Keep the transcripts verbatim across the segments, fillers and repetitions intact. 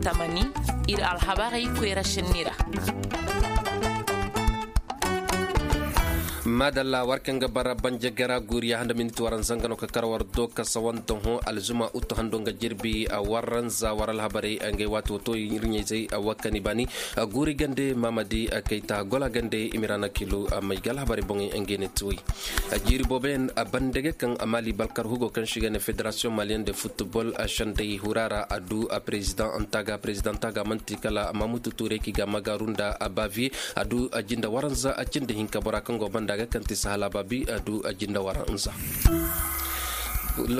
Tamani, ir alhabarey koyra senni ra. Maadalla war kaŋ ga bara banjagara guuriya handa miniti waranza nga no ka kar war do ka sawanta hõ alzuma uttu hando nga jirbi. Waranza war alhabarey ngay waati wato ir ɲayzey, wakani baani guuri gande mamadi kayta gola gande imirana kilu. May ga alhabarey boŋey ngay ne tuwey. Jiiri booboyaŋ a bande ga kaŋ a maali balkar hugo kaŋ si ga ne federasiyoŋ maliyaŋ de futbol a sendey hura ra a du a perezidaŋ taga perezidaŋ taga man'ti kala mamutu tuure ki ga magaaru nda a baaviye a du a jinde waranza a cindi hinka bora kaŋ go banda ga kaŋ ti sahala baabi a du a jinde waranza.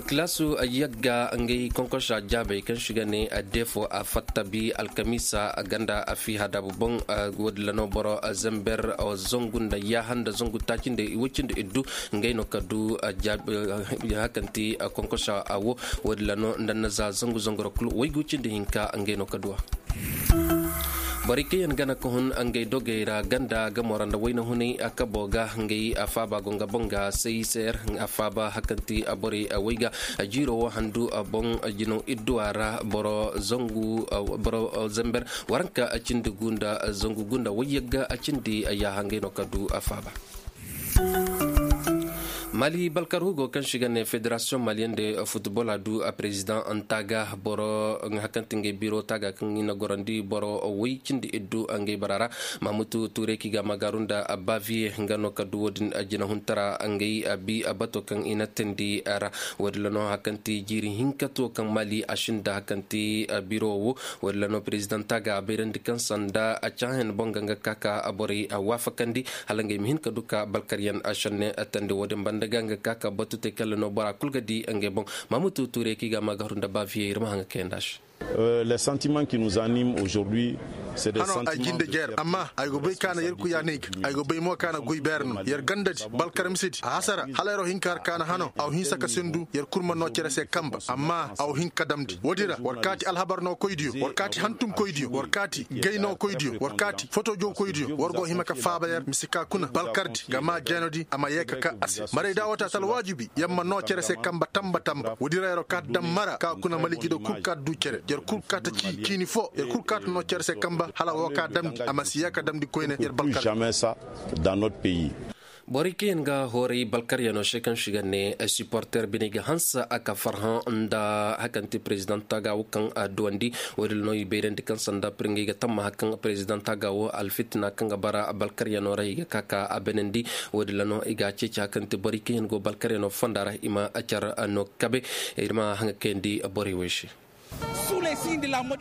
Kilaasu yagga ngay konkosa jaabey kaŋ si ga ne a defo a fatta bi alkamiisa a ganda a fiiha daabu boŋ. Woodin ra no boro zember zangu nda yaaha nda zangu taaci nda woy cindi iddu. Ngey no ka du hakanti konkosa a wo. Woodin ra no nda na za zangu zangu ra kulu waygu cindi hinka ngey no ka du a. Borey kaŋ yaŋ gana ka hun ngey dogey ra ganda gamo ra nda wayna hunay a kabo ga ngey a faaba go nga boŋ ga sayser a faaba hakanti borey a way ga. Jiiro wo handu a boŋ jinaw idduwa ra boro zangu boro zember waranka a cindi gunda zangu gunda wayyagga a cindi a yaaha ngey no ka du a faaba. Mali balkar hugo kaŋ si ga ne federasiyoŋ maliyaŋ de futbol a du a perezidaŋ taga boro hakanti ngey biro taga kaŋ i na gorandi boro way cindi iddu ngey bara ra. Mamutu tuure ki ga magaaru nda a baaviye nga no ka du woodin jina huntara ngey a bi a bato kaŋ i na tindi ra. Woodin ra no hakanti jiiri hinka to kaŋ mali a sinda hakanti biro wo. Woodin ra no perezidaŋ taga a bayrandi kaŋ sanda a caahen boŋ ga nga ka ka borey a waafakandi hala ngey ma hin ka du ka balkaryaŋ a senne tandi woodin banda ga nga ka ka batu te kala no bora kul ga di ngey boŋ. Mamutu tuure ki ga magaaru nda baaviye ir ma haŋ ga kayandi a se. Hano ay jinde jeer amma ay go bay ka na yerkuya ne ga ay go bay mo ka na goy beer no yer ganda di balkar misedi a hasara hala yeroo hinka har ka na hano aw hinsa ka sindu yer kul ma noo cere se kamba amma aw hin ka damndi woodi ra war kaati alhabar noo koydiyo war kaati hantum koydiyo war kaati gay noo koydiyo war kaati fotojo koydiyo war go hima ka faaba yer mise ka kuna balkardi ga maa jeenodi a ma yee ka ka a se maray da woo taata alwaajibi yer ma noo cere se kamba tamba tamba woodi ra yeroo kaati dam mara ka kuna maliji do kul kaati du cere yer kul kaati ci ciini foo yer kul kaati noo cere se kamba hala woo ka damndi a ma si yee ka damndi koyne yer balkardi. Borey kaŋ yaŋ ga hooray balkaryanoo se kaŋ si ga ne siporter bine ga hanse a ka farhã nda hari kaŋ ti perezidaŋ taaga wo kaŋ a duwandi. Woodin no i bayrandi kaŋ sanda pir ngey ga tammaha kaŋ perezidaŋ taaga wo alfitina kaŋ ga bara balkaryanoo ra i ga ka ka a benandi. Woodin no i ga a ceeci hari kaŋ ti borey kaŋ yaŋ go balkaryanoo fonda ra i ma car no kabe. Ir ma haŋa kayandi borey wey se.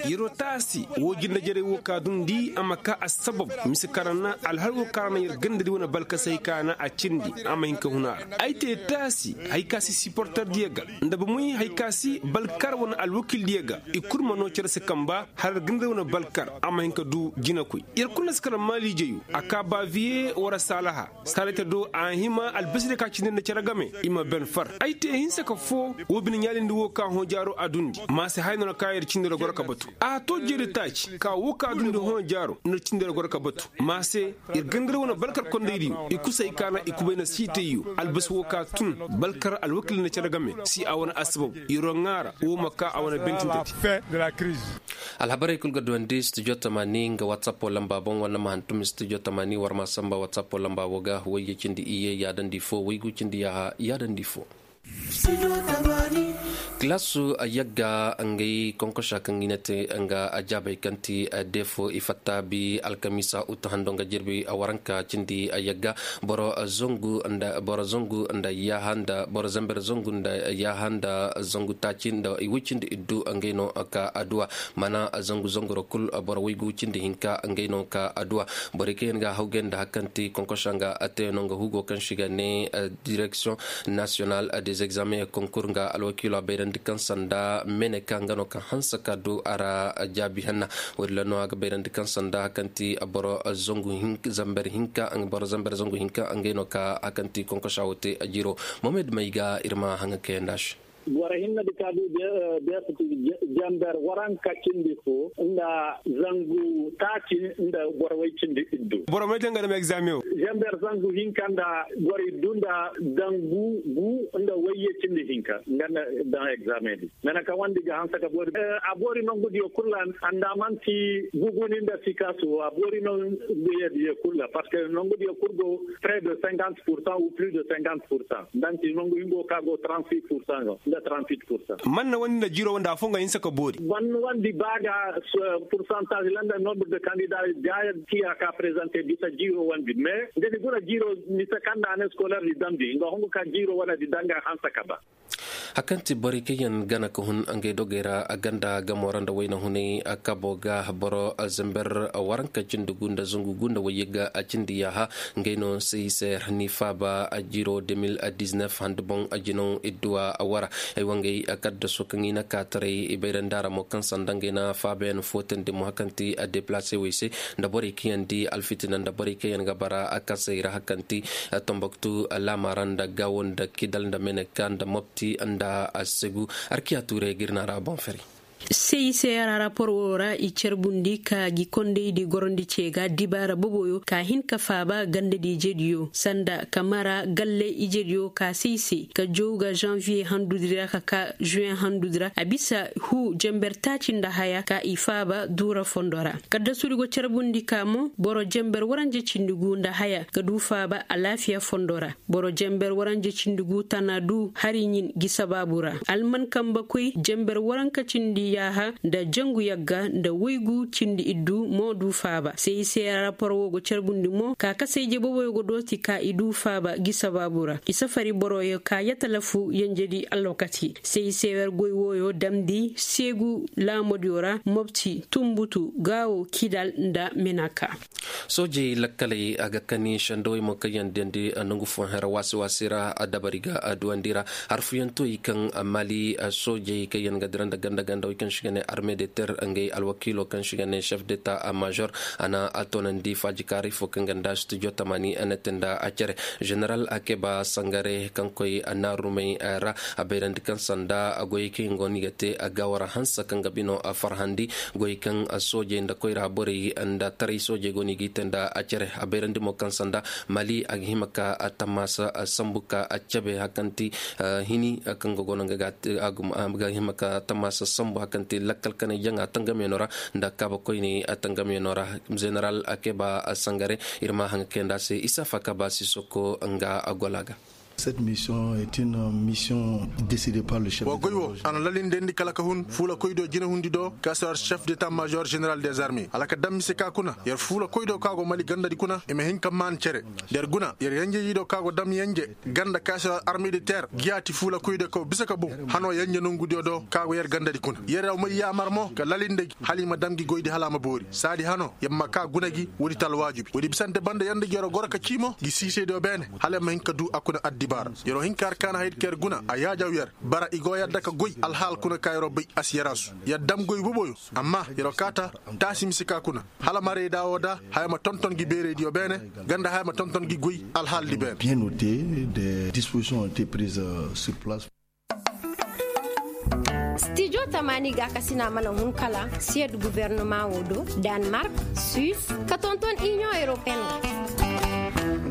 Yer wo taasi woo jindajarey woo ka dundi a ma ka assabab mise kaŋ ra na alhal woo kaŋ ra na yer gandadi wane balkasey ka na a cindi a ma hin ka hun a ra. Ay te taasi hari ka si siporter diya ga nda bomoy hari ka si balkar wane alwakil diya ga i kul ma noo cere se kamba hala yer gandadi wane balkar a ma hin ka du jinakoy. Yer kul na si kala maaliijeyo a ka baaviye wara saalaha. Saray ta do a hima albasi da ka cindi nda cere game i ma ben far. Ay te hinsa ka foo woo bine ɲaalindi woo ka hõ jaaro a dundi ma se haya no na ka yer cindi ra goro ka batu. A to jeeri taaci ka woo ka dundi hõ jaaro nda cindi ra goro ka batu ma se yer gandar wane balkar kondaydiyo i kusay ka na i kubay na siitayyo albasi woo ka tun balkar alwakil nda cere game si a wane assabab yeroo ŋaara woo ma ka a wane bentintati. Alhabarey kul ga duwandi studio tamaani nga whatsapp lamba boŋ wala ma hantum studio tamaani war ma samba whatsapp lamba wo ga wayye cindi iyye yaadandi fo waygu cindi yaaha yaadandi fo. Kilaasu yagga ngay konkosa kaŋ i na te nga ajaabey kaŋ ti defo i fatta bi alkamiisa utu hando nga jirbi waranka cindi yagga boro zangu nda boro zangu nda yaaha nda boro zamber zangu nda yaaha nda zangu taaci nda i way cindi iddu ngay no ka adduwa. Mana zangu zangoro kul boro waygu cindi hinka ngay no ka adduwa. Borey kaŋ yaŋ ga hawgay nda hari kaŋ ti konkosa nga atteeno nga hugo kaŋ si ga ne direksiyoŋ nasiyonal des examens et concours nga alwakiilo a bayrandi kaŋ sanda mene ka nga no kaŋ hanse ka du a ra jaabi hanna. Woodin ra no a ga bayrandi kaŋ sanda hari kaŋ ti boro zangu zamber hinka boro zamber zangu hinka ngay no ka hari kaŋ ti konkosa wo te a jiro. Mohamed may ga ir ma haŋa kayandi a se. Boro hinne di ka du. Janber waranka cindi fo nda zangu taaci nda boro way cindi iddu. Boro may te nga dam egzaameŋo. Janber zangu hinka nda boro iddu nda zangu gu nda wayye cindi hinka nga nda daŋ egzaameŋ di. Mene ka wandi ga hanse ka boori a boori nongudiyo kulu ra. Andamanti guguni nda sikasu a boori nonguyadiyo kulu ra parceque nongudiyo kulu go près de cinquante pour cent ou plus de cinquante pour cent. Nda nti nongu hingo ka go trente six pour cent no nda trente six pour cent. Man na wandi nda jiiro wandi afo nga hinse ka boori. Man wandi ba ga pourcentage landa nombre de candidat ga tiya ka présenter bisa jiiro wandi mais nda ni guna jiiro mise kaŋ nda année scolaire di damndi nga hongu ka jiiro wane di daŋ ga hanse ka ba. Hakanti borey kaŋ yaŋ gana ka hun ngey dogey ra a ganda gamo ra nda wayna hunay a kabo ga boro zember waranka cindi gu nda zangu gu nda wayye ga a cindi yaaha. Ngey no sey se ra ni faaba a jiro de mil diznef handi boŋ a jinaw idduwa a wara. Ay wangey a kaddaso kaŋ i na kaataray i bayrandi a ra mo kaŋ sanda ngey na faabayaŋ footandi mo hakanti a deplase wey se nda borey kaŋ yaŋ di alfitina nda borey kaŋ yaŋ ga bara a kasey ra hakanti. Tomboktu laama ra nda gaawo nda kidal nda meneka nda mopti nda a segu. Arkiya tuuray ga ir na ra boŋ fari. Sey se ra rapor wo ra i carbundi ka gi kondaydi gorondi ce ga dibaara boboyo ka hin ka faaba gandadi ijediyo sanda ka mara galle ijediyo ka sey se ka jow ga janviye handudi ra ka ka juwen handudi ra a bisa huu jember taaci nda haya ka i faaba duura fondo ra. Kaddasudi go carbundi ka mo boro jember waranje cindi gu nda haya ga du faaba alaafiya fondo ra. Boro jember waranje cindi gu tana du hari ɲin gi sabaabu ra alman kambe koy jember waranka cindi yaaha nda jangu yagga nda woygu cindi iddu mo du faaba sey se rapor wo go carbundi mo ka kasayje boboyo go dooti ka i du faaba gi sabaabu ra i safari boroyo ka yatalafu yenjedi alwakati sey se wer goy woyo damndi seegu laamodiyo ra mopti tumbutu gaawo kidal nda menaka. Soojey lakkaley a ga kani sendawey mo kaŋ yaŋ diyandi nangu fooyaŋ ra waasi waasi ra dabari ga duwandi ra. Harfuyantoy kaŋ mali soojey kaŋ yaŋ ga dira nda ganda ganda wey kaŋ si ga ne arme de ter ngey alwakiilo kaŋ si ga ne chef deta major a na a toonandi faajikaaray fo kaŋ ga nda studio tamani a na te nda a cere. General akeba sangare kaŋ koy naarumey ra a bayrandi kaŋ sanda goyey kaŋ yaŋ go no i ga te a ga war hanse kaŋ ga bino farhandi. Goy kaŋ soojey nda koyra borey nda taray soojey go no i g'i te nda a cere a bayrandi mo kaŋ sanda mali a ga hima ka tammaasa sambu ka a cabe hakanti hini kaŋ ga go no nga ga hima ka tammaasa sambu hakanti lakkal kanay jaŋa tangamyaŋo ra nda kaaba koyney tangamyaŋo ra. Zeneral akeba sangare ir ma haŋ ga kay nda a se isa fa ka ba sisoko nga a gola ga. Cette mission est une mission décidée par le chef. Wa goy wo a na lalinde ndi kala ka hun fuula koy do jina hundi do ka si war chef d'état major général des armées hala ka dam mise ka kuna yer fuula koy do ka go mali ganda di kuna i ma hin ka maan cere. Yer guna yer yanje yi do ka go dam yanje ganda ka si war armée de terre giyaati fuula koy do ka go bisa ka boŋ hano yanje nongu diyo do ka go yer ganda di kuna yer ra may yaamar mo ka lalinde gi hala i ma dam gi goy di hala a ma boori saadi hano yer ma ka guna gi woodi talwaaju bi woodi bisante banda yer nda gi yer goro ka cii mo gi siisey do beene hala yer ma hin ka du a kuna addibaara. Yer wo hin ka har kaana haydi ka yer guna a yaajaw yer bara i go yadda ka goy alhaal kuna ka yer wo bay a si yaraasu yer dam goy boboyo. Amma yer wo kaata taasi mise ka kuna hala marayda wo da haya ma tonton gi beeraydiyo beene ganda haya ma tonton gi goy alhaaldi beene. Bien noté, des dispositions ont été prises sur place. Stijo tamaani gaakasina mana hun kala siyed gubernama wo do, danmark, suis, ka tonton inion europeen wo.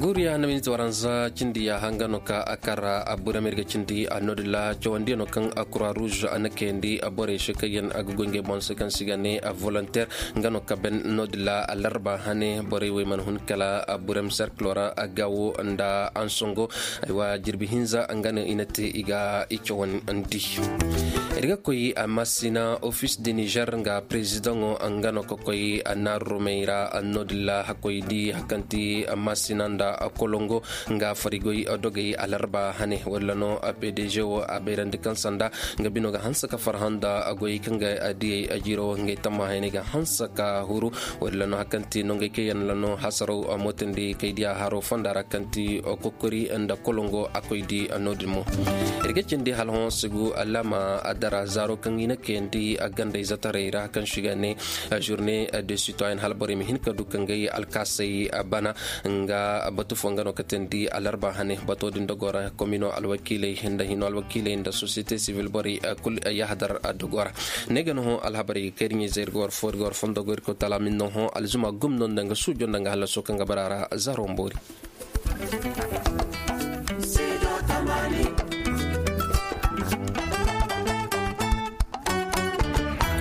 Guuriya na minit waranza cindi ya hanga no ka a kara a burem ir ga cindi a noodin ra cawandiyaŋo kaŋ a kura ruuz a na kayandi a borey se kaŋ yaŋ a ga goy ngey boŋ se kaŋ se i ga ne a volonteer. Nga no ka ben noodin ra a larba hane borey wey mana hun kala a burem serkilo ra a gaawo nda ansongo. Aywa jirbi hinza nga no i na te i ga i cawandi. Ir ga koy a masina ofis de niger nga prezidaŋo nga no ka koy a naarurumey ra a noodin ra hakkoy di hakanti a masina nda a kolongo nga farigoy dogey a larba hane walla no a pdg wo a bayrandi kaŋ sanda nga bino ga hanse ka farhã nda a goy kaŋ ga a diyey a jiro ngey tamma hayney ga hanse ka huru. Walla no hakanti no ngey kaŋ yaŋ la no hasaraw a mootandi kay diya haro fonda ra kaŋ ti kokori nda kolongo a koy di a noodin mo. Ir ga cindi hala hõ sigu alaama a dara zaaro kaŋ i na kayandi a gandey zataray ra kaŋ si ga ne journée de citoyen hala borey ma hin ka du ka ngey alkaasey bana nga Tufo nga no katandi alarba hane bato din dogo ra komino alwakiiley nda hino alwakiiley nda sosiyete sivil borey kul yahadar dogo ra. Ne ga no hõ alhabarey ga kayri ɲizey ir ga war fo ir ga war fondo go ir ga tala min no hõ alzuma gum no nda nga suujo nda nga hallaso kaŋ ga bara ra zaro mboori.